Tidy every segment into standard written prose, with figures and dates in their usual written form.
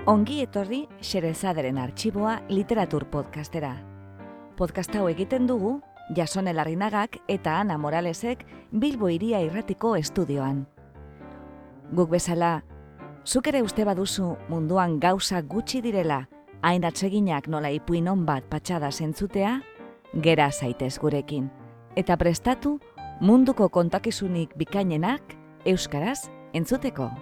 Ongi etorri Xerezaderen Artxiboa literatur podcastera. Podcast hau egiten dugu Jasone Larrinagak eta Ana Moralesek Bilbo Hiria Irratiko estudioan. Guk bezala, zuk ere uste baduzu munduan gauza gutxi direla, hain atseginak nola ipuin on bat patxada zentzutea, gera zaitez gurekin. Eta prestatu munduko kontakizunik bikainenak euskaraz entzuteko.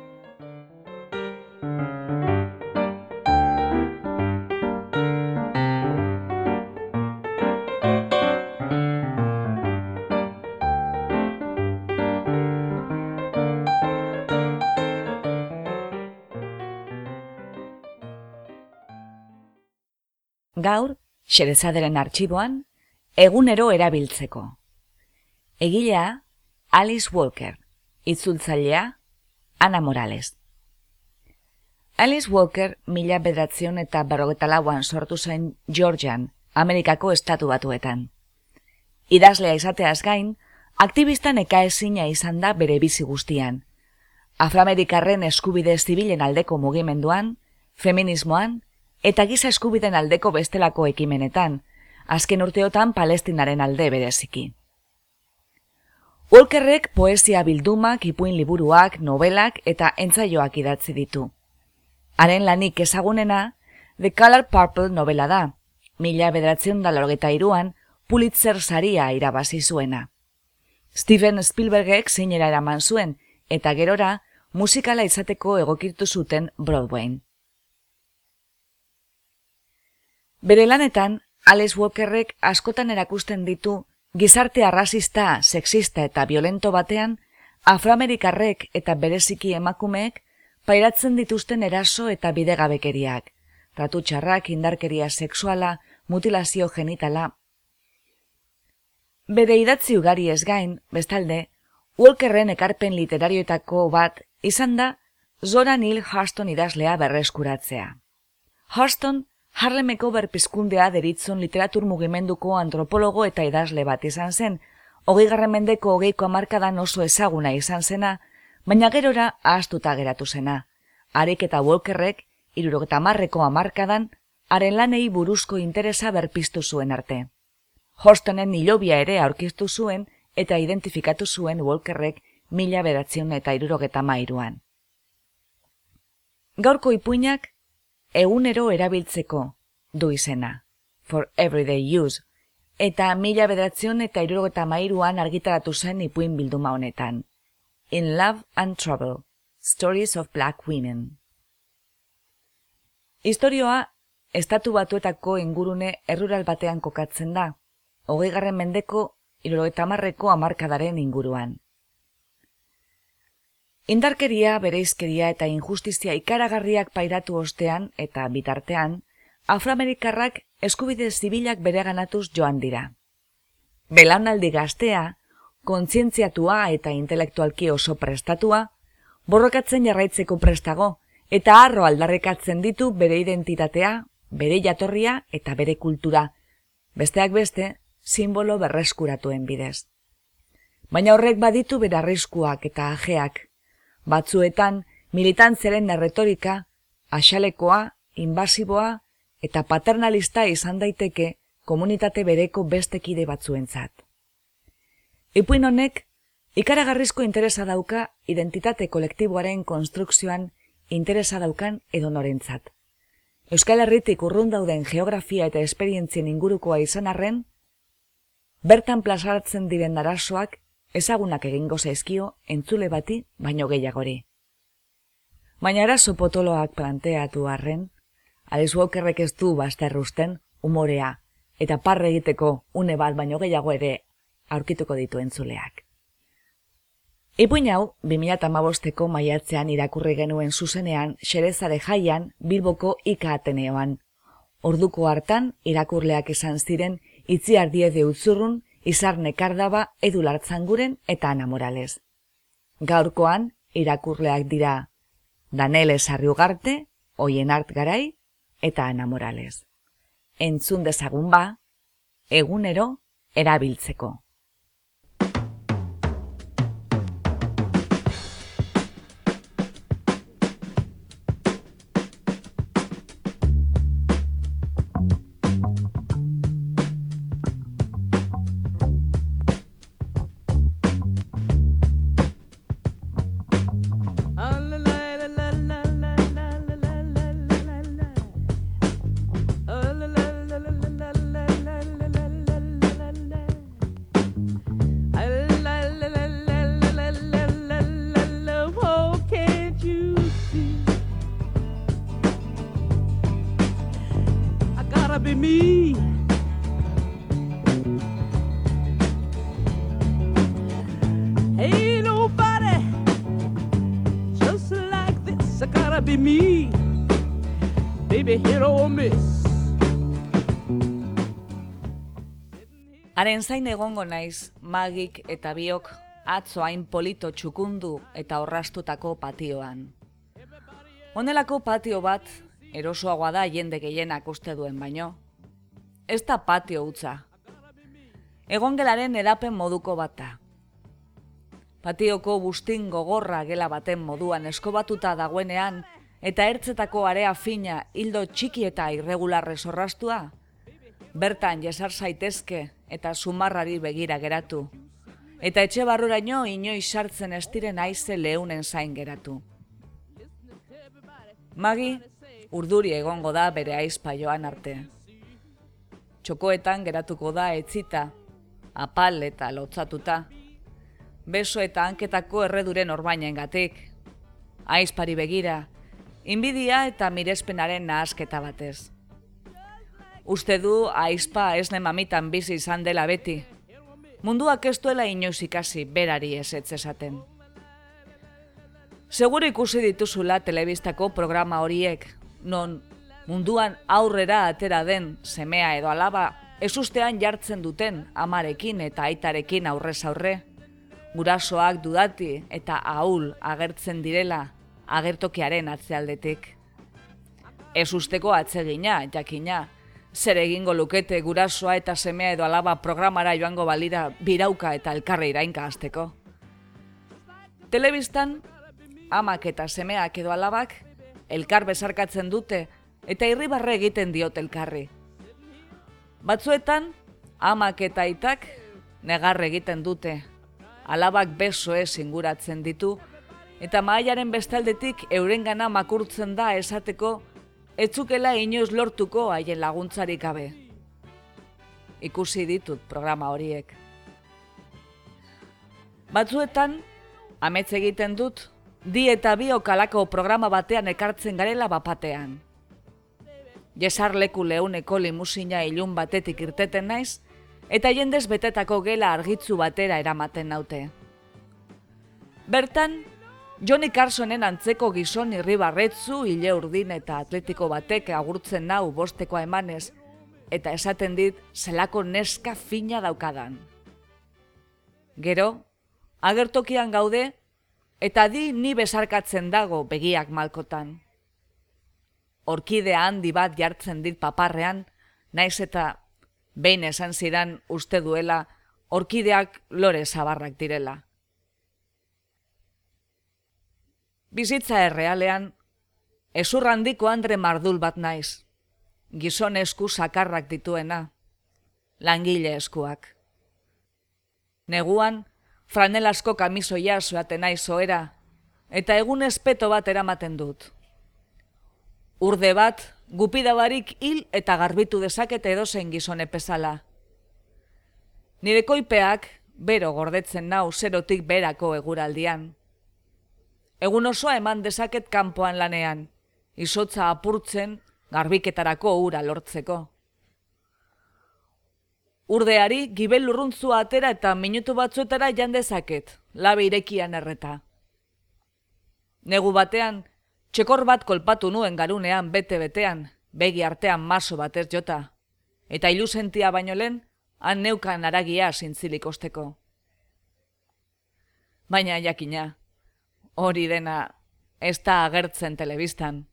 Gaur, Xerezaderen Artxiboan, egunero erabiltzeko. Egilea, Alice Walker, itzultzailea, Ana Morales. Alice Walker 1954an sortu zen Georgian, Amerikako estatu batuetan. Idazlea izateaz gain, aktibista nekaezina izan da bere bizi guztian. Afroamerikarren eskubide zibilen aldeko mugimenduan, feminismoan, eta giza eskubiden aldeko bestelako ekimenetan, azken urteotan Palestinaren alde bereziki. Walkerrek poesia bildumak, ipuin liburuak, novelak eta entsaioak idatzi ditu. Haren lanik ezagunena, The Color Purple novela da, 1983an Pulitzer saria irabazi zuena. Steven Spielbergek zeinera eraman zuen, eta gerora musikala izateko egokitu zuten Broadwayn. Bere lanetan, Alice Walkerrek askotan erakusten ditu gizarte arrazista, sexista eta violento batean, afroamerikarrek eta bereziki emakumeek pairatzen dituzten eraso eta bidegabekeriak, tratu txarrak, indarkeria sexuala, mutilazio genitala. Bere idatzi ugari ez gain, bestalde, Walkerren ekarpen literarioetako bat izan da Zora Neale Hurston idazlea berreskuratzea. Hurston Harlemeko berpizkundea deritzon literatur mugimenduko antropologo eta idazle bat izan zen, 20. mendeko 20ko hamarkadan oso ezaguna izan zena, baina gerora ahaztuta geratu zena. Harik eta Walkerrek 70ko hamarkadan haren lanei buruzko interesa berpiztu zuen arte. Hurstonen hilobia ere aurkiztu zuen eta identifikatu zuen Walkerrek 1973an. Gaurko ipuinak egunero erabiltzeko du izena, for everyday use, eta 1973an argitaratu zen ipuin bilduma honetan. In Love and Trouble, Stories of Black Women. Historioa, estatu batuetako ingurune errural batean kokatzen da, 20. mendeko 70ko hamarkadaren inguruan. Indarkeria, bereizkeria eta injustizia ikaragarriak pairatu ostean eta bitartean, afroamerikarrak eskubide zibilak bereganatuz joan dira. Belaunaldi gaztea, kontzientziatua eta intelektualki oso prestatua, borrokatzen jarraitzeko prestago eta harro aldarrikatzen ditu bere identitatea, bere jatorria eta bere kultura, besteak beste, simbolo berreskuratuen bidez. Baina horrek baditu bere arriskuak eta ajeak, batzuetan militantziaren erretorika, axalekoa, inbasiboa eta paternalista izan daiteke komunitate bereko beste kide batzuentzat. Ipuin honek, ikaragarrizko interesa dauka identitate kolektiboaren konstrukzioan interesa daukan edonorentzat. Euskal Herritik urrun dauden geografia eta esperientzien ingurukoa izan arren, bertan plazaratzen diren arazoak ezagunak egingo zaizkio entzule bati baino gehiagori. Baina arazo potoloak planteatu arren, Alice Walkerrek ez du bazterrusten umorea eta parre egiteko une bat baino gehiago ere aurkituko ditu entzuleak. Ipuin hau 2015ko maiatzean irakurri genuen zuzenean Xerezade jaian Bilboko Ika Ateneoan. Orduko hartan irakurleak izan ziren Itziar Diede Utzurrun, Izar Nekardaba, Edu Lartzanguren eta Ana Morales. Gaurkoan irakurleak dira Danele Sarriugarte, Oienart Garai eta Ana Morales. Entzun dezagun ba, egunero erabiltzeko. be me. Ain't nobody just like this. I gotta be me. Baby, hit or miss. Haren zain egongo naiz, Magik eta biok atzo hain polito txukundu eta orrastutako patioan. Honelako patio bat, erosoagoa da jende gehienak uste duen baino. Ez da patio hutsa. Egongelaren edapen moduko bat da. Patioko bustin gogorra gela baten moduan eskobatuta dagoenean eta ertzetako area fina hildo txiki eta irregularrez orrastua, bertan jesar zaitezke eta sumarrari begira geratu, eta etxe barruraino inoiz sartzen ez diren haize leunen zain geratu. Magi urduri egongo da bere aizpa joan arte. Txokoetan geratuko da etzita, apal eta lotzatuta, beso eta hanketako erreduren orbainengatik, aizpari begira, inbidia eta mirespenaren nahasketa batez. Uste du aizpa esne mamitan bizi izan dela beti, munduak ez duela inoiz ikasi berari ezetz esaten. Seguro ikusi dituzula telebistako programa horiek, non munduan aurrera atera den semea edo alaba ezustean jartzen duten amarekin eta aitarekin aurrez aurre, gurasoak dudati eta ahul agertzen direla agertokiaren atzealdetik. Ezusteko atsegina, jakina, zer egingo lukete gurasoa eta semea edo alaba programara joango balira birauka eta elkarre irainka hasteko. Telebistan, amak eta semeak edo alabak elkar besarkatzen dute eta irribarre egiten diot elkarri. Batzuetan, amak eta aitak negar egiten dute, alabak besoez inguratzen ditu, eta mahaiaren bestaldetik eurengana makurtzen da esateko etzukela inoiz lortuko haien laguntzarik gabe. Ikusi ditut programa horiek. Batzuetan, amets egiten dut, di eta biok alako programa batean ekartzen garela bapatean. Jesarleku leuneko limusina ilun batetik irteten naiz, eta jendez betetako gela argitzu batera eramaten naute. Bertan, Johnny Carsonen antzeko gizon irribarretzu, ile urdin eta atletiko batek agurtzen nau bostekoa emanez, eta esaten dit zelako neska fina daukadan. Gero, agertokian gaude, eta di ni besarkatzen dago begiak malkotan. Orkidea handi bat jartzen dit paparrean, naiz eta behin esan zidan uste duela orkideak lore zabarrak direla. Bizitza errealean, ezur handiko Andre Mardul bat naiz, gizon esku sakarrak dituena, langile eskuak. Neguan, franelasko kamisoia zoaten naiz ohera, eta egun espeto bat eramaten dut. Urde bat, gupidabarik hil eta garbitu dezakete edozein gizone bezala. Nire koipeak bero gordetzen nau zerotik berako eguraldian. Egun osoa eman dezaket kanpoan lanean, izotza apurtzen garbiketarako ura lortzeko. Urdeari gibel lurruntzua atera eta minutu batzuetara jan dezaket, labe irekian erreta. Negu batean, txekor bat kolpatu nuen garunean bete-betean, begi artean maso batez jota, eta ilusentia baino lehen, han neukan aragia zintzilik osteko. Baina jakina, hori dena ez da agertzen telebistan.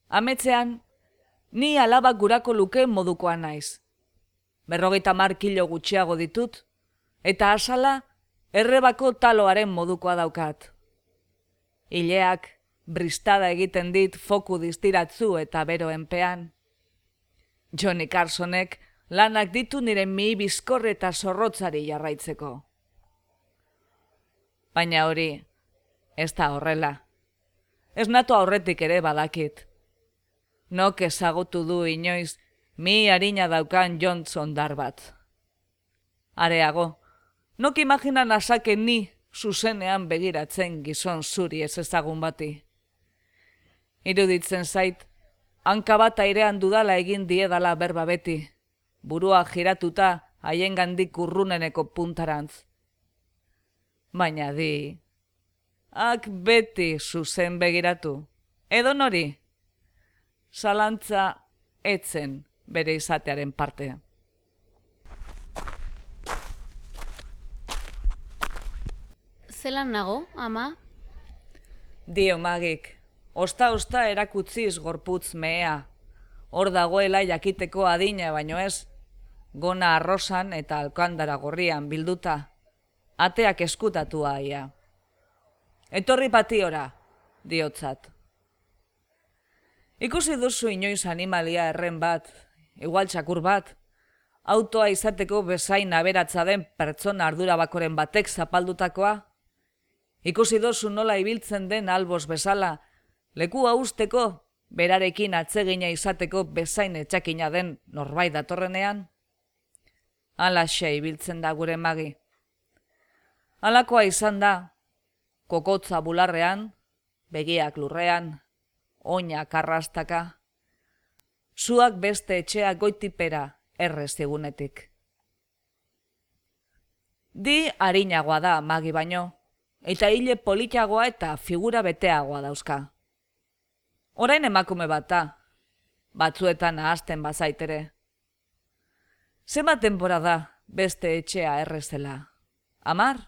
Ametzean, ni alabak gurako luke modukoa naiz. 50 kilo gutxiago ditut, eta asala errebako taloaren modukoa daukat. Ileak bristada egiten dit foku distiratzu eta bero enpean. Johnny Carsonek lanak ditu nire mihi bizkor eta zorrotzari jarraitzeko. Baina hori, ez da horrela. Ez nato aurretik ere badakit. Nok ezagutu du inoiz mi harina daukan Johnson dar bat. Areago, nok imaginan azake ni zuzenean begiratzen gizon zuri ez ezagun bati. Iruditzen zait, hanka bat airean dudala egin diedala berba beti, burua giratuta haiengandik urruneneko puntarantz. Baina ak beti zuzen begiratu, edo nori, zalantza etzen bere izatearen parte. Zelan nago, ama? Dio Magik, osta erakutziz gorputz mehea, hor dagoela jakiteko adina baino ez, gona arrosan eta alkandara gorrian bilduta, ateak eskutatua aia. Etorri patiora, diotzat. Ikusi duzu inoiz animalia erren bat, igual txakur bat, autoa izateko bezain aberatza den pertsona ardura bakoren batek zapaldutakoa? Ikusi duzu nola ibiltzen den albos bezala, lekua usteko, berarekin atsegina izateko bezain etxakina den norbait datorrenean? Alaxe ibiltzen da gure Magi. Alakoa izan da, kokotza bularrean, begiak lurrean, oinak arrastaka. Zuak beste etxea goitipera errez egunetik. Di harinagoa da Magi baino, eta hile politagoa eta figura beteagoa dauzka. Orain emakume bat da, batzuetan ahazten bazaitere. Zenbat denbora da beste etxea errezela? 10?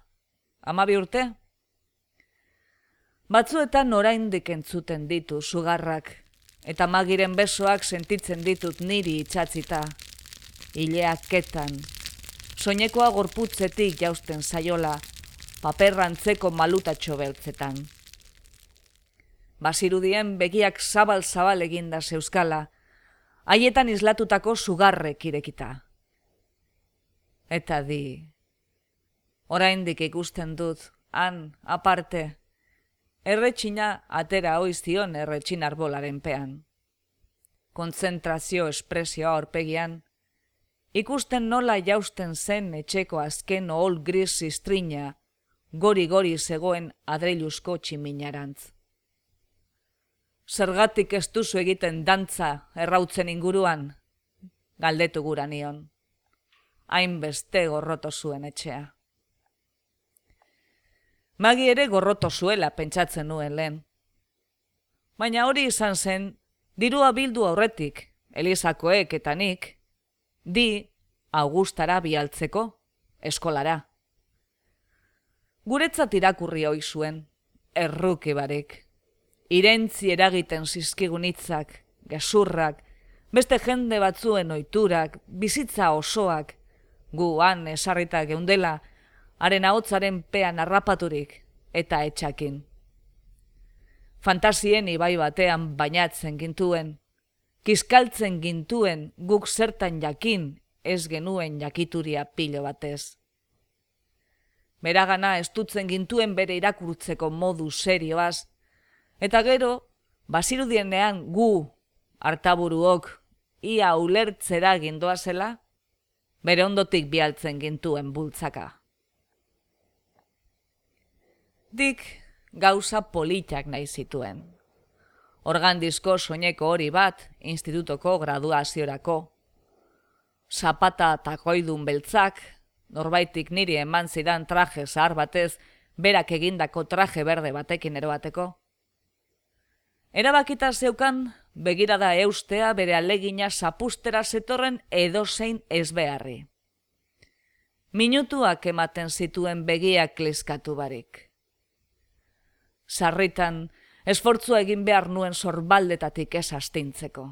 12 urte? Batzuetan oraindik entzuten ditu sugarrak, eta Magiren besoak sentitzen ditut niri itxatzita, hileak ketan, soinekoa gorputzetik jausten zaiola, paperrantzeko malutatxo beltzetan. Bazirudien begiak zabal-zabal eginda zeuskala, haietan islatutako sugarrek irekita. Eta oraindik ikusten dut, han, aparte, erretxina atera oiztion erretxin arbolaren pean. Kontzentrazio espresioa aurpegian, ikusten nola jausten zen etxeko azken ohol gris ziztrina, gori-gori zegoen adreiluzko tximinarantz. Zergatik ez duzu egiten dantza errautzen inguruan, galdetu gura nion. Hainbeste gorroto zuen etxea. Magi ere gorroto zuela pentsatzen nuen lehen. Baina hori izan zen, dirua bildu aurretik, Elisakoek eta nik, Augustara bialtzeko, eskolara. Guretzat irakurri ohi zuen, erruki barik. Irentzi eragiten zizkigun hitzak, gezurrak, beste jende batzuen ohiturak, bizitza osoak, gu han esarrita geundela, haren ahotsaren pean harrapaturik eta etxakin. Fantasien ibai batean bainatzen gintuen, kiskaltzen gintuen guk zertan jakin ez genuen jakituria pilo batez. Beragana estutzen gintuen bere irakurtzeko modu serioaz, eta gero, bazirudienean gu, artaburuok, ia ulertzera gindoazela, bere ondotik bialtzen gintuen bultzaka. Dik gauza politak nahi zituen. Organdizko soineko hori bat, institutoko graduaziorako. Zapata takoidun beltzak, norbaitik niri eman zidan traje zahar batez, berak egindako traje berde batekin erobateko. Erabakita zeukan, begirada eustea bere alegina zapustera zetorren edozein ezbeharri. Minutuak ematen zituen begiak kliskatu barik. Sarritan, esfortzua egin behar nuen sorbaldetatik ez astintzeko.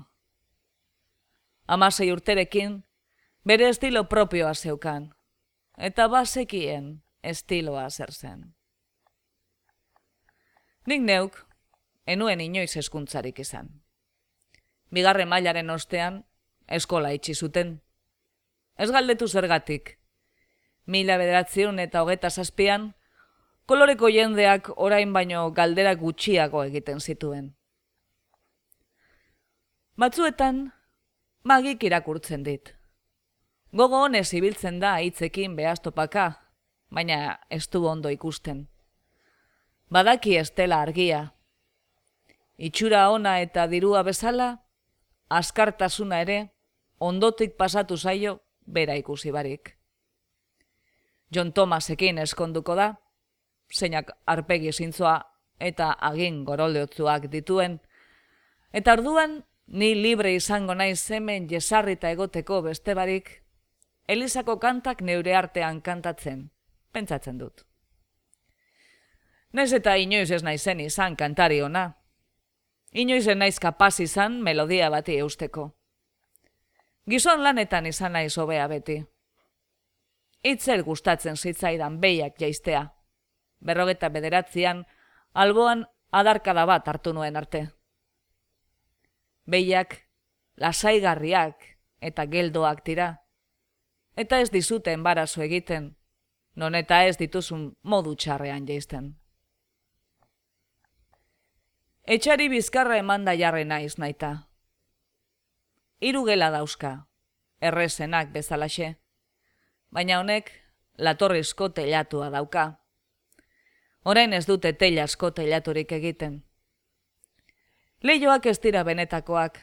16 urterekin, bere estilo propioa zeukan, eta bazekien estiloa zer zen. Nik neuk, enuen inoiz hezkuntzarik izan. 2. mailaren ostean, eskola itxi zuten. Ez galdetu zergatik. 1927an, koloreko jendeak orain baino galdera gutxiago egiten zituen. Batzuetan, Magik irakurtzen dit. Gogo honez ibiltzen da hitzekin behaztopaka, baina ez du ondo ikusten. Badaki ez dela argia. Itxura ona eta dirua bezala, askartasuna ere, ondotik pasatu zaio bera ikusi barik. John Thomasekin eskonduko da, zeinak arpegi zintzoa eta agin goroldeotzuak dituen, eta orduan ni libre izango naiz hemen jesarrita egoteko beste barik, Elizako kantak neure artean kantatzen, pentsatzen dut. Naiz eta inoiz ez naizen izan kantari ona. Inoiz ez naiz kapaz izan melodia bati eusteko. Gizon lanetan izan naiz hobea beti. Itzel gustatzen zitzaidan behiak jaistea. 59an alboan adarkada bat hartu nuen arte. Behiak lasaigarriak eta geldoak dira. Eta ez dizute enbarazo egiten, non eta ez dituzun modu txarrean jaisten. Etxari bizkarra emanda jarri naiz naita. 3 gela dauzka, errezenak bezalaxe, baina honek latorrizko teilatua dauka. Orain ez dute teilasko teilaturik egiten. Leihoak ez dira benetakoak,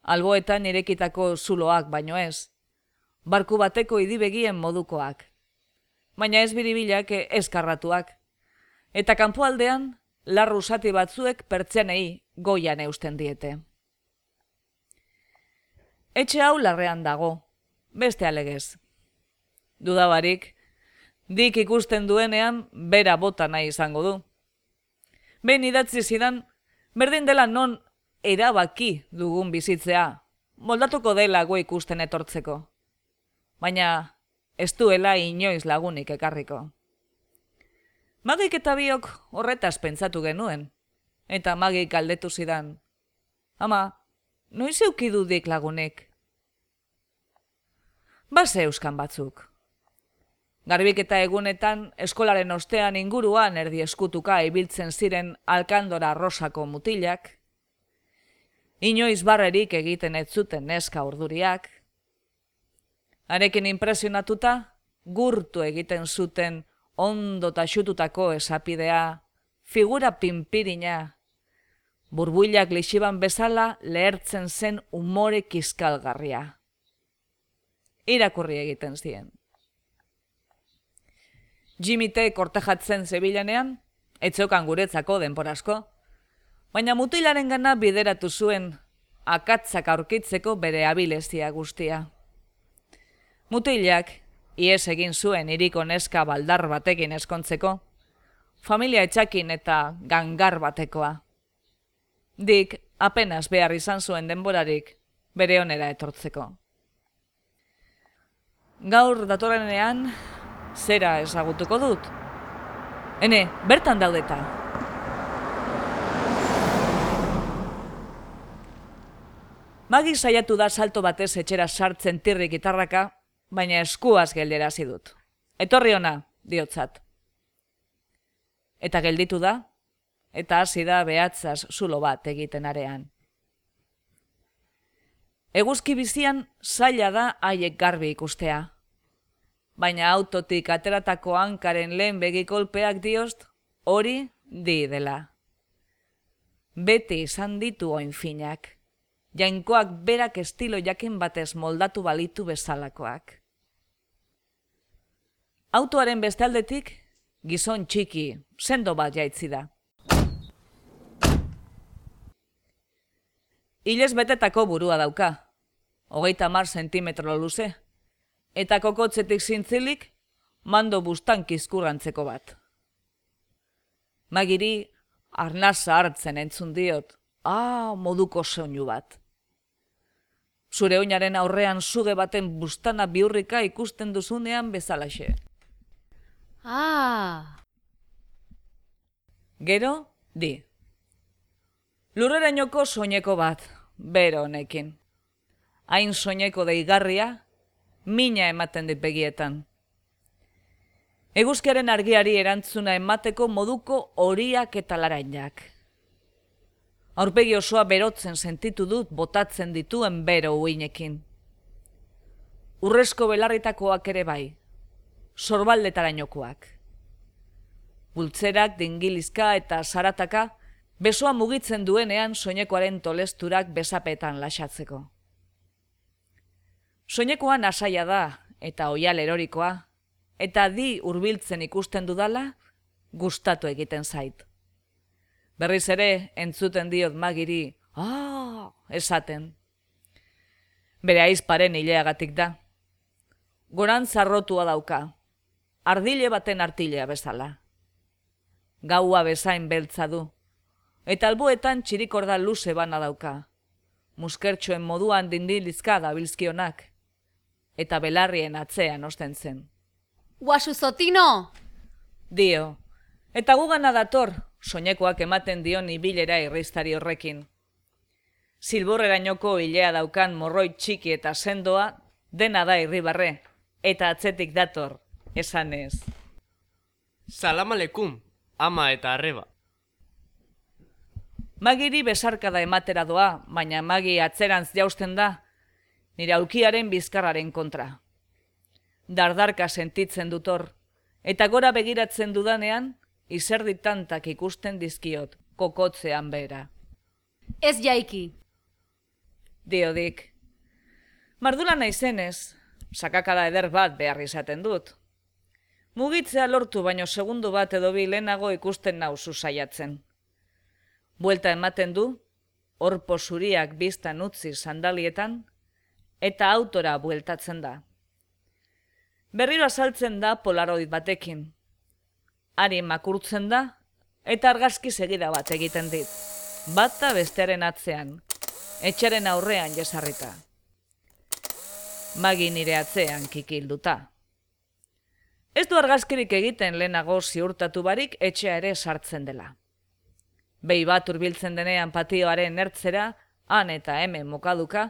alboetan irekitako zuloak baino ez, barku bateko idibegien modukoak, baina ez biribilak eskarratuak, eta kanpoaldean larru zati batzuek pertsianei goian eusten diete. Etxe hau larrean dago, beste alegez. Dudabarik, dik ikusten duenean bera bota nahi izango du. Behin idatzi zidan, berdin dela non erabaki dugun bizitzea, moldatuko dela gu ikusten etortzeko. Baina ez duela inoiz lagunik ekarriko. Magik eta biok horretaz pentsatu genuen, eta Magik galdetu zidan. Ama, noiz eukidudik lagunik? Base euskan batzuk. Garbiketa egunetan eskolaren ostean inguruan erdi eskutuka ibiltzen ziren alkandora rosako mutilak, inoiz barrerik egiten ez zuten neska urduriak, harekin impresionatuta, gurtu egiten zuten ondo taxututako esapidea, figura pinpirina, burbuilak lixiban bezala lehertzen zen umore kiskalgarria. Irakurri egiten zien. Jimmy T. kortejatzen zebilenean, etzokan guretzako denporazko, baina mutilaren gana bideratu zuen akatzak aurkitzeko bere abilezia guztia. Mutilak, ihes egin zuen hiriko neska baldar batekin eskontzeko, familia etxakin eta gangar batekoa. Dick apenas behar izan zuen denborarik bere onera etortzeko. Gaur datorrenean, zera ezagutuko dut. Hene, bertan daudeta. Magi saiatu da salto batez etxera sartzen tirrik gitarraka, baina eskuaz gelderazi dut. Etorri ona, diotzat. Eta gelditu da, eta hasi da behatzaz zulo bat egiten arean. Eguzki bizian zaila da haiek garbi ikustea. Baina autotik ateratako hankaren lehen begikolpeak diost, hori di dela. Beti izan ditu oinfinak. Jainkoak berak estilo jakin batez moldatu balitu bezalakoak. Autoaren bestaldetik, gizon txiki, sendo bat jaitzi da. Hilez betetako burua dauka, 30 zentimetro luze, eta kokotzetik zintzilik, mando bustan kizkurrantzeko bat. Magiri, arnasa hartzen entzun diot, moduko soinu bat. Zure oinaren aurrean suge baten bustana bihurrika ikusten duzunean bezalaxe. Gero, di. Lurrerainoko soineko bat, bero honekin. Hain soineko deigarria, mina ematen dit begietan. Eguzkiaren argiari erantzuna emateko moduko horiak eta larainak. Aurpegi osoa berotzen sentitu dut botatzen dituen bero uinekin. Urrezko belarritakoak ere bai, sorbaldetarainokoak. Bultzerak, dingilizka eta zarataka besoa mugitzen duenean soinekoaren tolesturak besapetan lasatzeko. Soinekoa nasaia da eta oial erorikoa, eta di hurbiltzen ikusten dudala, gustatu egiten zait. Berriz ere entzuten diot Magiri, esaten. Bere aizparen hileagatik da. Goran zarrotua dauka, ardile baten artilea bezala. Gaua bezain beltza du, eta alboetan txirikorda luze bana dauka. Muskertxoen moduan dindilizka dabilzkionak, eta belarrien atzean osten zen. Guasu Zotino! Dio, eta gugana dator, soinekoak ematen dion ibilera irristari horrekin. Zilborrerainoko hilea daukan morroi txiki eta sendoa dena da irribarre, eta atzetik dator, esanez. Salam aleikum, ama eta arreba. Magiri besarkada ematera doa, baina Magi atzerantz jausten da, nire aulkiaren bizkarraren kontra. Dardarka sentitzen dutor, eta gora begiratzen dudanean, izerditantak ikusten dizkiot, kokotzean behera. Ez jaiki. Diodik. Mardula naizenez, sakakada eder bat behar izaten dut. Mugitzea lortu baino segundu bat edo bi lehenago ikusten nauzu saiatzen. Buelta ematen du, orpo zuriak biztan utzi sandalietan, eta autora bueltatzen da. Berriro azaltzen da polaroid batekin. Ari makurtzen da, eta argazki segida bat egiten dit. Bata bestearen atzean, etxaren aurrean jesarrita. Magi nire atzean kikilduta. Ez du argazkirik egiten lehenago ziurtatu barik etxea ere sartzen dela. Behi bat hurbiltzen denean patioaren ertzera, han eta hemen mokaduka,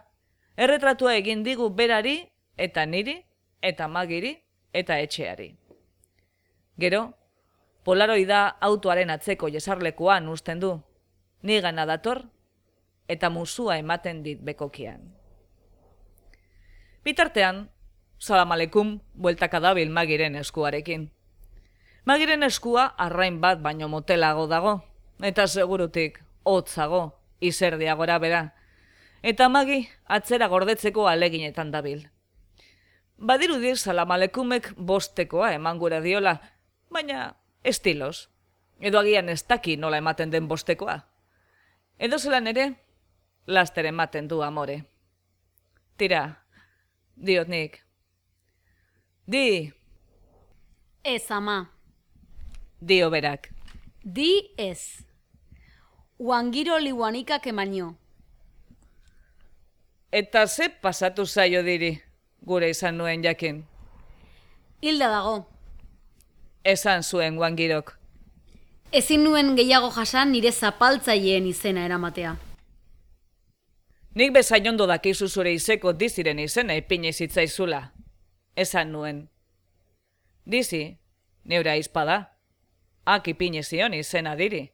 erretratua egin digu berari, eta niri, eta Magiri, eta etxeari. Gero, polaroida autoaren atzeko jesarlekuan uzten du, nigana dator, eta musua ematen dit bekokian. Bitartean, salam aleikum bueltaka dabil Magiren eskuarekin. Magiren eskua arrain bat baino motelago dago, eta segurutik hotzago, izerdiagora bera, eta Magi atzera gordetzeko aleginetan dabil. Badirudi salam aleikumek bostekoa eman gura diola, baina estilos, edo agian ez daki nola ematen den bostekoa. Edo zelan ere, laster ematen du amore. Tira, diot nik. Di, Ez, ama. dio berak. Di ez. Uangiro liuanikak emaino. Eta ze pasatu zaio diri, gure izan nuen jakin. Hilda dago. Esan zuen Wangirok. Ezin nuen gehiago jasan nire zapaltzaileen izena eramatea. Nik bezain ondo dakizu zure izeko diziren izena ipini zitzaizula. Esan nuen. Dizi, neura izpada. Ak ipini zion izena diri.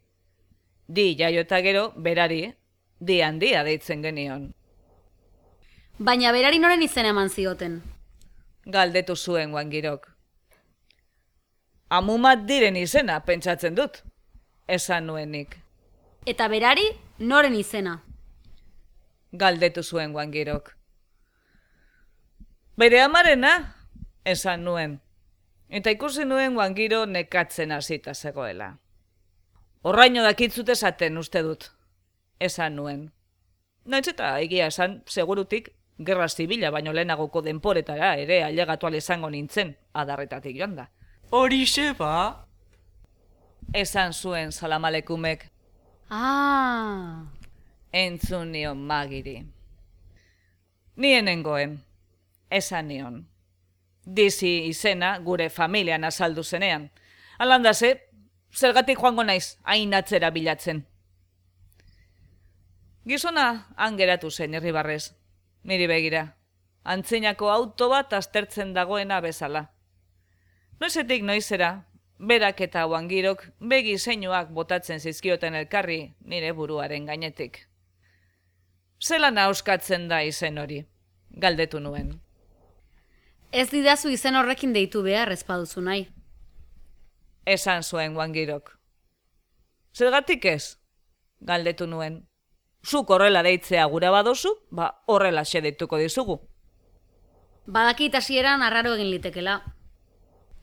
Di jaio eta gero, berari, di handia deitzen genion. Baina berari noren izena eman zioten. Galdetu zuen Wangirok. Amumat diren izena, pentsatzen dut. Esan nuenik. Eta berari noren izena. Galdetu zuen Wangirok. Bere amarena, esan nuen. Eta ikusi nuen Wangiro nekatzen hasita zegoela. Horraino dakitzut esaten uste dut, esan nuen. Naitz eta egia esan, segurutik, gerra zibila baino lehenagoko denporetara ere ailegatu izango nintzen, adarretatik joan da. Horixe ba? Esan zuen salam aleikumek, entzun nion Magiri. Nien nengoen, esan nion. Dizi izena gure familian azaldu zenean. Alandase, zergatik joango naiz hain atzera bilatzen. Gizona hangeratu zen irribarrez, niri begira. Antzinako auto bat aztertzen dagoena bezala. Noizetik noizera, berak eta Wangirok begi zeinuak botatzen zizkioten elkarri nire buruaren gainetik. Zelan auskatzen da izen hori, galdetu nuen. Ez didazu izen horrekin deitu behar ezpaduzu nahi. Esan zuen Wangirok. Zergatik ez? galdetu nuen. Zuk horrela deitzea gura badozu, horrela deituko dizugu. Badakit hasieran arraro egin litekela.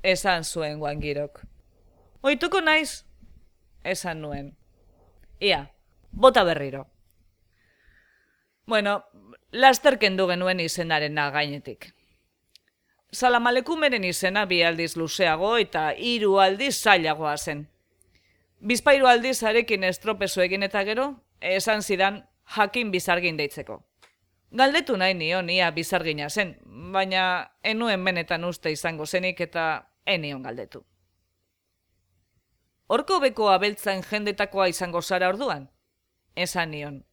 Esan zuen Wangirok. Ohituko naiz, esan nuen. Ia, bota berriro. Bueno, laster kendu genuen izenaren gainetik. Salamalekumeren izena 2 aldiz luzeago eta 3 aldiz zailagoa zen. Bizpahiru aldiz arekin estropezu egin eta gero, esan zidan Jakin Bizargin deitzeko. Galdetu nahi nion ia bizargina zen, baina enuen benetan uste izango zenik eta enion galdetu. Horko beko abeltzain jendetakoa izango zara orduan? Esan nion.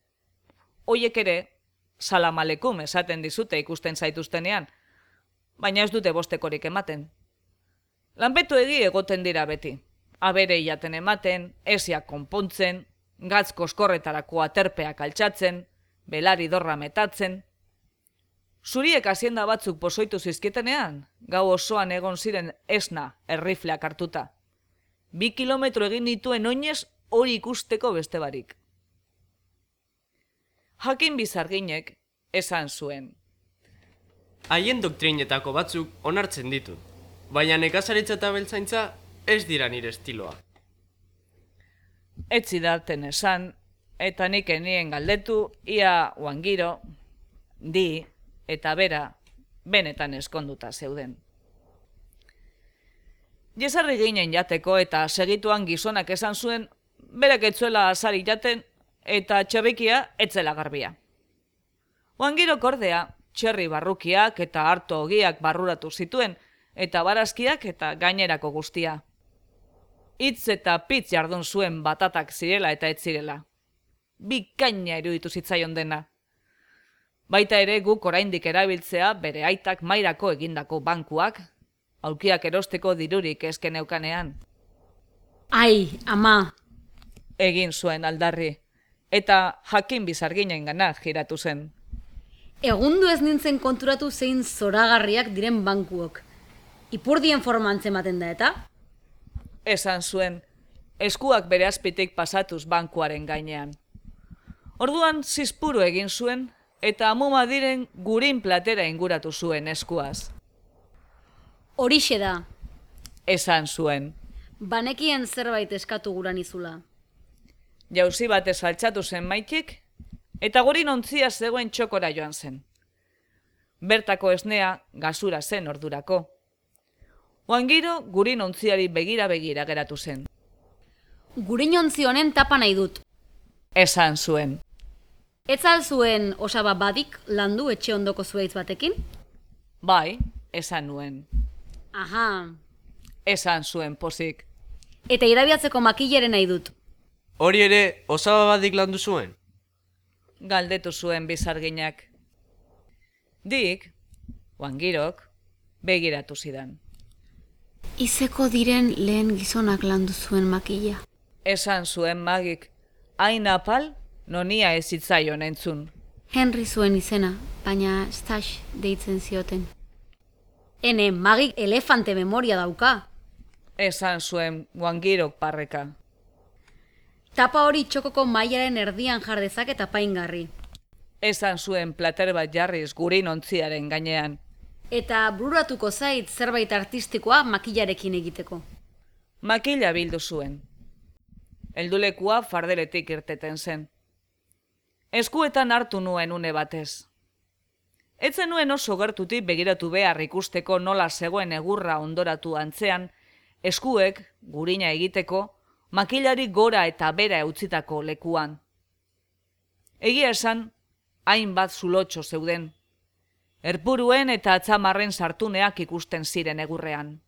Hoiek ere, salamalekum esaten dizute ikusten zaituztenean, baina ez dute bostekorik ematen. Lanpetuegi egoten dira beti. Abere jaten ematen, esiak konpontzen, gatz koskorretarako aterpeak altxatzen, belari dorra metatzen. Zuriek hazienda batzuk pozoitu zizkietenean, gau osoan egon ziren esna errifleak hartuta. 2 kilometro egin dituen oinez hori ikusteko beste barik. Jakin Bizarginek esan zuen. Haien doktrinetako batzuk onartzen ditut, baina nekazaritza eta abeltzaintza ez dira nire estiloa. Ez zidaten esan, eta nik enien galdetu, ia Wangiro, Di eta bera benetan eskonduta zeuden. Jesarri ginen jateko eta segituan gizonak esan zuen, berak etzuela azari jaten eta txerrikia etzela garbia. Wangirok ordea, txerri barrukiak eta harto ogiak barruratu zituen, eta barazkiak eta gainerako guztia. Hitz eta pitz jardun zuen batatak zirela eta ez zirela. Bikaina iruditu zitzaion dena. Baita ere guk oraindik erabiltzea bere aitak mairako egindako bankuak, aulkiak erosteko dirurik esken eukanean. Ai, ama! Egin zuen aldarri, eta Jakin Bizarginen gana jiratu zen. Egundu ez nintzen konturatu zein zoragarriak diren bankuok. Ipurdien forma antzematen da eta? Esan zuen, eskuak bere azpitik pasatuz bankuaren gainean. Orduan zizpuru egin zuen, eta amuma diren gurin platera inguratu zuen eskuaz. Horixe da, Esan zuen. banekien zerbait eskatu guran izula. Jauzi batez altxatu zen maitik, eta gurin ontzia zegoen txokora joan zen. Bertako esnea gazura zen ordurako. Wangiro gurin ontziari begira geratu zen. Gurinontzi honen tapa nahi dut. Esan zuen. Ez al zuen osaba badik landu etxe ondoko zuaitz batekin? Bai, esan nuen. Aha. Esan zuen pozik. Eta irabiatzeko makileren nahi dut. Hori ere, osaba badik landu zuen? Galdetu zuen Bizarginak. Dik, Wangirok, begiratu zidan. Izeko diren lehen gizonak landu zuen makila. Esan zuen Magik, hain apal, nonia ez zitzaion entzun. Henry zuen izena, baina Stash deitzen zioten. Ene, magik elefante memoria dauka. Esan zuen Wangirok parreka. Tapa hori txokoko mailaren erdian jardezak eta paingarri. Esan zuen plater bat jarriz gurin ontziaren gainean. Eta bururatuko zait zerbait artistikoa makilarekin egiteko. Makila bildu zuen. Heldulekua fardeletik irteten zen. Eskuetan hartu nuen une batez. Etzen nuen oso gertutik begiratu behar ikusteko nola zegoen egurra ondoratu antzean, eskuek, gurina egiteko, makilari gora eta bera eutzitako lekuan. Egia esan, hainbat zulotxo zeuden. Erpuruen eta atzamarren sartuneak ikusten ziren egurrean.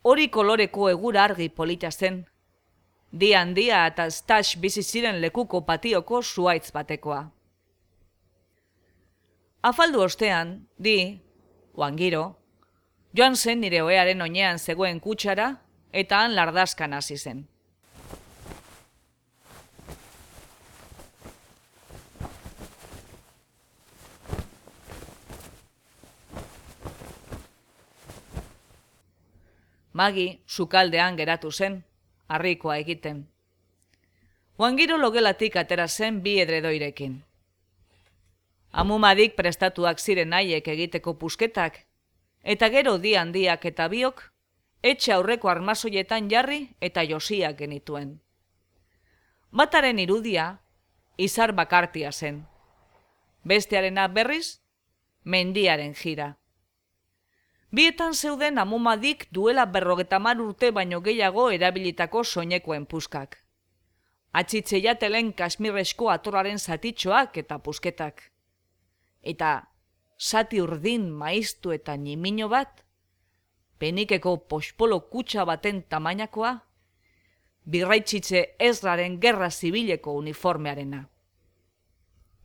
Hori koloreko egura argi polita zen. Dia handia eta Stash bizi ziren lekuko patioko zuaitz batekoa. Afaldu ostean, Di, Wangiro, joan zen nire ohearen oinean zegoen kutsara eta han lardaskan hasi zen. Magi sukaldean geratu zen, harrikoa egiten. Wangiro logelatik atera zen bi edredoirekin. Amumadik prestatuak ziren haiek egiteko pusketak, eta gero di handiak eta biok, etxe aurreko armazoietan jarri eta josiak genituen. Bataren irudia, izar bakartia zen. Bestearena berriz, mendiaren jira. Bietan zeuden amumadik duela 50 urte baino gehiago erabilitako soinekoen puskak. Atxitze jatelen kasmirresko atoraren zatitxoak eta pusketak. Eta zati urdin maiztu eta nimino bat, penikeko pospolo kutsa baten tamainakoa, birraitxitze Ezraren gerra zibileko uniformearena.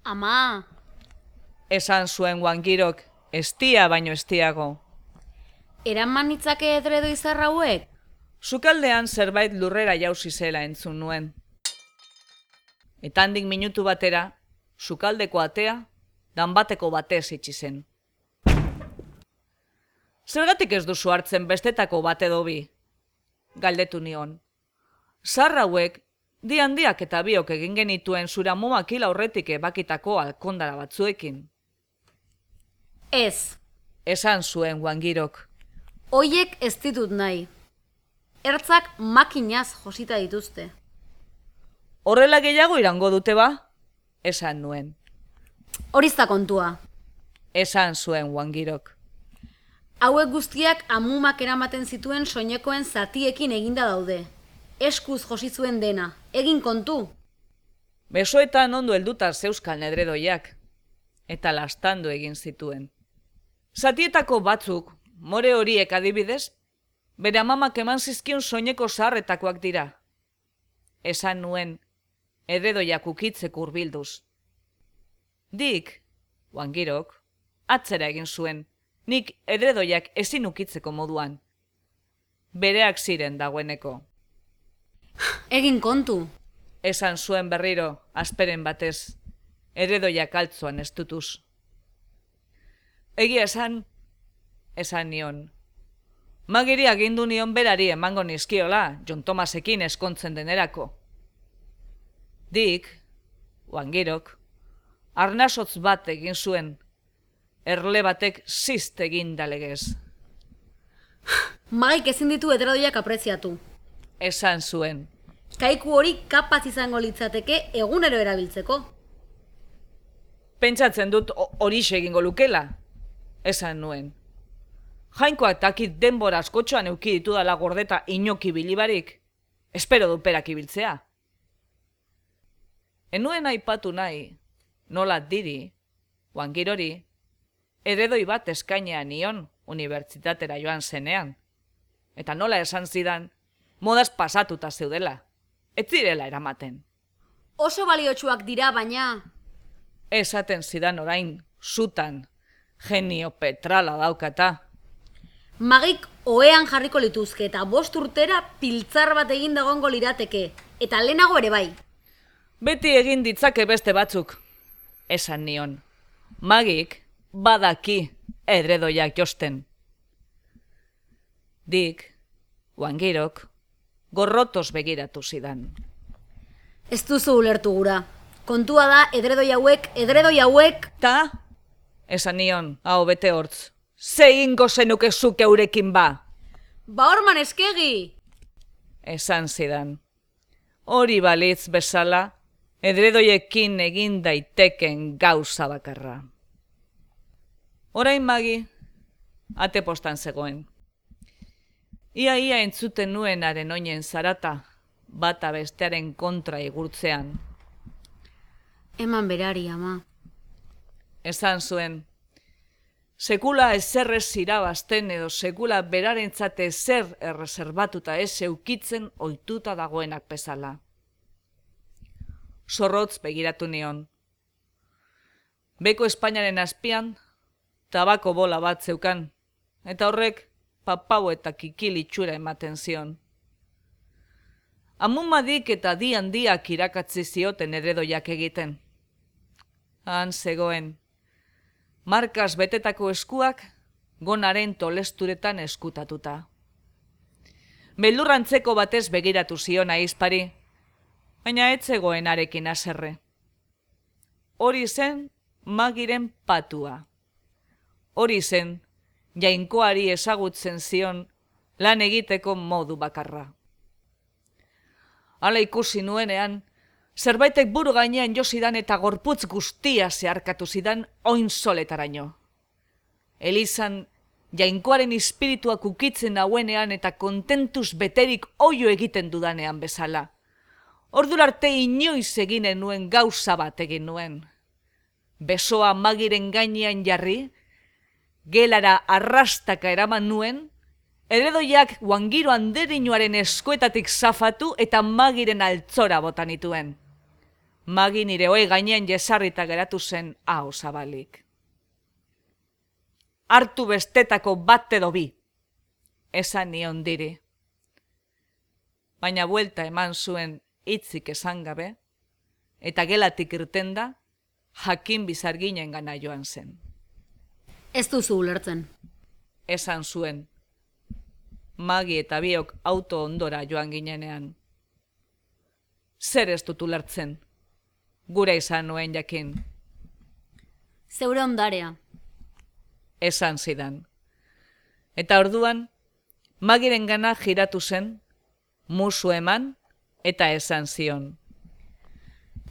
Ama, Esan zuen Wangirok, estia baino estiago. eraman nitzake edredo izar hauek? Sukaldean zerbait lurrera jauzi zela entzun nuen. Eta handik minutu batera, sukaldeko atea, danbateko batez itxi zen. Zergatik ez duzu hartzen bestetako bat edo bi? Galdetu nion. Zar hauek, di handiak eta biok egin genituen zure amumakil aurretik ebakitako alkondara batzuekin. Ez, Esan zuen Wangirok. hoiek ez ditut nahi. Ertzak makinaz josita dituzte. Horrela gehiago irango dute ba? Esan nuen. Horizta kontua. Esan zuen Wangirok. Hauek guztiak amumak eramaten zituen soinekoen zatiekin eginda daude. Eskuz josi zuen dena, egin kontu. Besoetan ondo helduta zeuzkan edredoiak, eta lastandu egin zituen. Zatietako batzuk, more horiek adibidez, bere amamak eman zizkion soineko zaharretakoak dira. Esan nuen, edredoiak ukitzek hurbilduz. Dik, Wangirok, atzera egin zuen, nik edredoiak ezin ukitzeko moduan. Bereak ziren dagoeneko. Egin kontu. Esan zuen berriro, asperen batez, edredoiak altzoan estutuz. Egia esan nion. Magiri agindu nion berari emango nizkiola, John Thomasekin eskontzen denerako. Dik, Wangirok, arnasotz bat egin zuen, erle batek zizt egin dalegez. Magik ezin ditu edredoiak apreziatu. Esan zuen. Kaiku hori kapaz izango litzateke egunero erabiltzeko. Pentsatzen dut horixe egingo lukela. Esan nuen. Jainkoak takit denbora askotxoan euki ditudala gordeta inoki bilibarik. Espero du perak ibiltzea. Enuen aipatu nahi, nola diri, Wangirori, edredoi bat eskainean nion unibertsitatera joan zenean. Eta nola esan zidan, modaz pasatuta zeudela. Ez zirela eramaten. Oso baliotsuak dira, baina... Esaten zidan orain, zutan, genio petrala daukata. Magik ohean jarriko lituzke eta 5 urtera piltzar bat egin dagongo lirateke. Eta lehenago ere bai. Beti egin ditzake beste batzuk. Esan nion. Magik badaki edredoiak josten. Dik, Wangirok, gorrotos begiratu zidan. Ez duzu ulertu gura. Kontua da edredoi hauek... Ta, esan nion, hau bete hortz. Ze ingo zenuke zuk eurekin ba? Ba horman eskegi! Esan zidan. Hori balitz bezala, edredoiekin egin daiteken gauza bakarra. Orain Magi, ate postan zegoen. Ia entzuten nuenaren oinen zarata, bata bestearen kontra igurtzean. Eman berari, ama. Esan zuen, sekula ezerrez irabazten edo sekula berarentzate zer erreserbatuta ez eukitzen ohituta dagoenak bezala. Zorrotz begiratu nion. Beko Espainiaren azpian, tabako bola bat zeukan, eta horrek papau eta kikil itxura ematen zion. Amumadik eta di handiak irakatzi zioten edredoiak egiten. Han zegoen, markaz betetako eskuak gonaren tolesturetan eskutatuta. Beldurrantzeko batez begiratu zion ahizpari, baina ez zegoen harekin haserre. Hori zen Magiren patua. Hori zen Jainkoari ezagutzen zion lan egiteko modu bakarra. Hala ikusi nuenean, zerbaitek buru gainean jo zidan eta gorputz guztia zeharkatu zidan oin soletaraino. Elizan Jainkoaren espirituak ukitzen hauenean eta kontentuz beterik oio egiten dudanean bezala. Ordurarte inoiz eginen nuen gauza bat egin nuen. Besoa Magiren gainean jarri, gelara arrastaka eraman nuen, eredoiak Guangiro anderinoaren eskuetatik zafatu eta Magiren altzora botan nituen. Magi nire ohe gainean jesarrita geratu zen aho zabalik. Hartu bestetako bat edo bi, esan nion diri. Baina buelta eman zuen hitzik esan gabe, eta gelatik irtenda, jakin bizarginen gana joan zen. Ez duzu ulertzen. Esan zuen, Magi eta biok auto ondora joan ginenean. Zer ez dut ulertzen, gure izan nuen jakin. Zeure ondarea. Esan zidan. Eta orduan, Magiren gana jiratu zen, musu eman eta esan zion.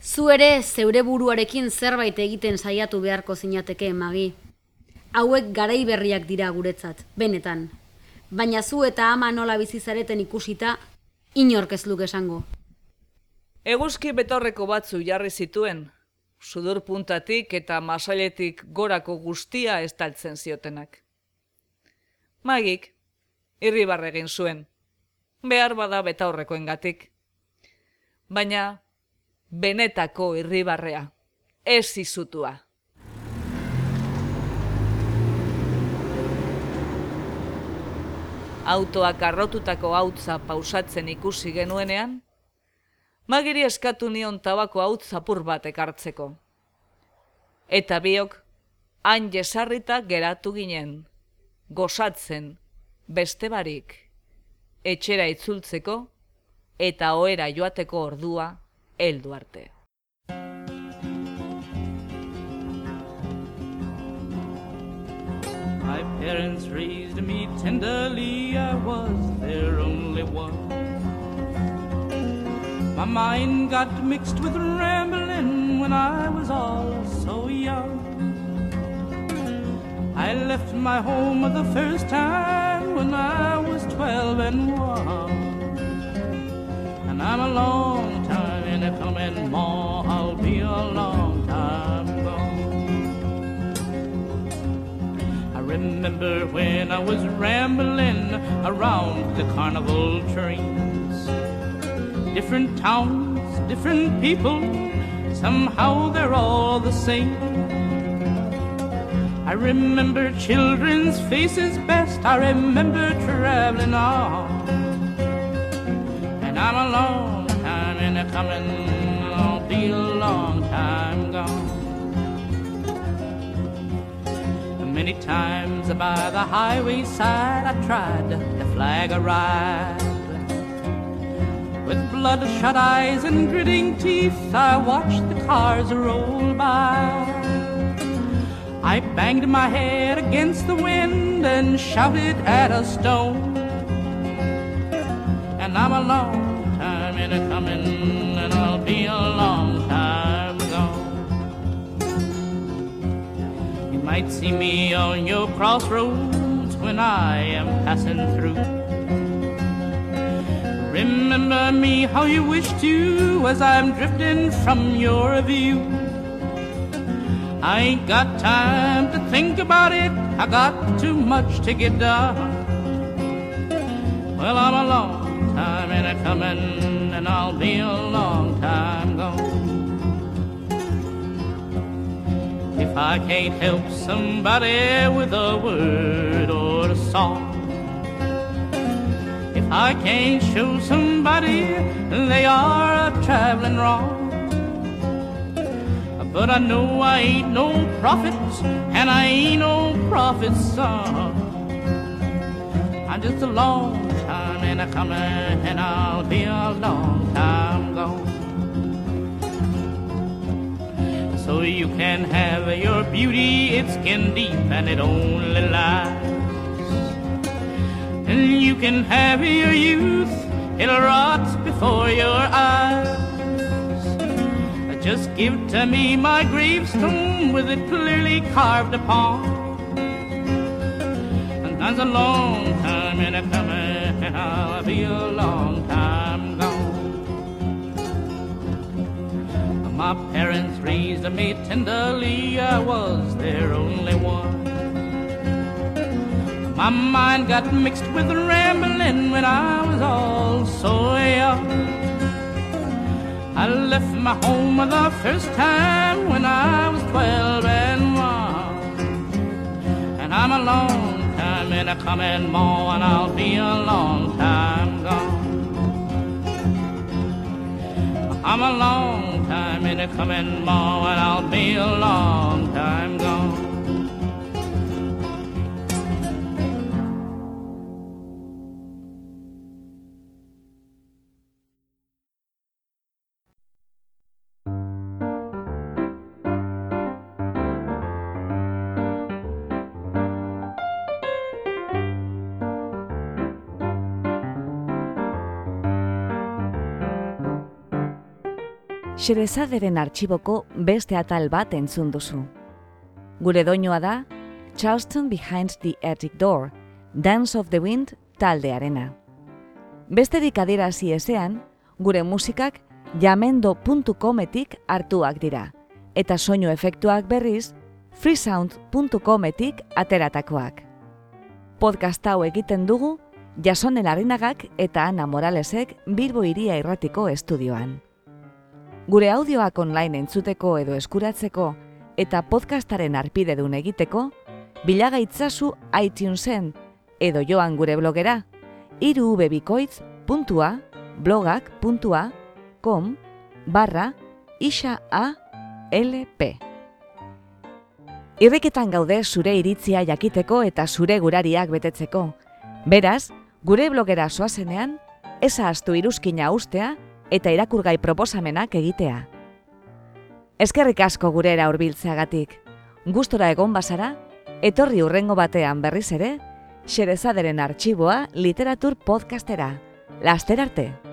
Zu ere zeure buruarekin zerbait egiten saiatu beharko zinateke, Magi. Hauek garai berriak dira guretzat, benetan. Baina zu eta ama nola bizizareten ikusita, inork ez luke esango. Eguzki betorreko batzu jarri zituen, sudur puntatik eta masailetik gorako guztia estaltzen ziotenak. Magik, irribarre egin zuen, behar bada betaurrekoengatik. Baina, benetako irribarrea, ez izutua. Autoak arrotutako hautza pausatzen ikusi genuenean, Magiri eskatu nion tabako hautz zapur bat ekartzeko. Eta biok, han jesarrita geratu ginen, gozatzen, beste barik, etxera itzultzeko eta ohera joateko ordua heldu arte. My parents raised me tenderly, I was their only one. My mind got mixed with rambling when I was all so young. I left my home the first time when I was 12 and 1. And I'm a long time in a coming, Ma, I'll be a long time gone. I remember when I was rambling around the carnival trains. Different towns, different people, somehow they're all the same. I remember children's faces best, I remember traveling on. And I'm a long time in a coming, I'll be a long time gone. Many times by the highway side I tried to flag a ride. With bloodshot eyes and gritting teeth, I watched the cars roll by. I banged my head against the wind and shouted at a stone. And I'm a long time in a coming, and I'll be a long time gone. You might see me on your crossroads when I am passing through. Remember me how you wish to as I'm drifting from your view. I ain't got time to think about it, I got too much to get done. Well, I'm a long time in a coming, and I'll be a long time gone. If I can't help somebody with a word or a song, if I can't show somebody they are a-traveling wrong, but I know I ain't no prophet, and I ain't no prophet's son. I'm just a long time in a coming, and I'll be a long time gone. so you can have your beauty, it's skin deep and it only lasts. And you can have your youth, it'll rot before your eyes. Just give to me my gravestone with it clearly carved upon. And that's a long time in a coming, and I'll be a long time gone. My parents raised me tenderly, I was their only one. My mind got mixed with rambling when I was all so young. I left my home the first time when I was 12 and 1. And I'm a long time in a coming more, and I'll be a long time gone. I'm a long time in a coming more, and I'll be a long time gone. Xerezaderen artxiboko beste atal bat entzun duzu. Gure doinua da Charleston Behind the Attic Door, Dance of the Wind taldearena. Besterik adierazi ezean, gure musikak jamendo.cometik hartuak dira, eta soinu efektuak berriz freesound.cometik ateratakoak. Podcast hau egiten dugu Jasone Larrinagak eta Ana Moralesek Bilbo Hiria Irratiko estudioan. Gure audioak online entzuteko edo eskuratzeko eta podcastaren arpidedun egiteko, bilagaitzazu iTunesen edo joan gure blogera irubebikoitz.blogak.com/IXAALP. Irriketan gaude zure iritzia jakiteko eta zure gurariak betetzeko. Beraz, gure blogera zoazenean, ez ahaztu iruzkina ustea eta irakurgai proposamenak egitea. Eskerrik asko gurera hurbiltzeagatik. Gustora egon bazara, etorri hurrengo batean berriz ere, Xerezaderen artxiboa literatur podcastera. Laster arte!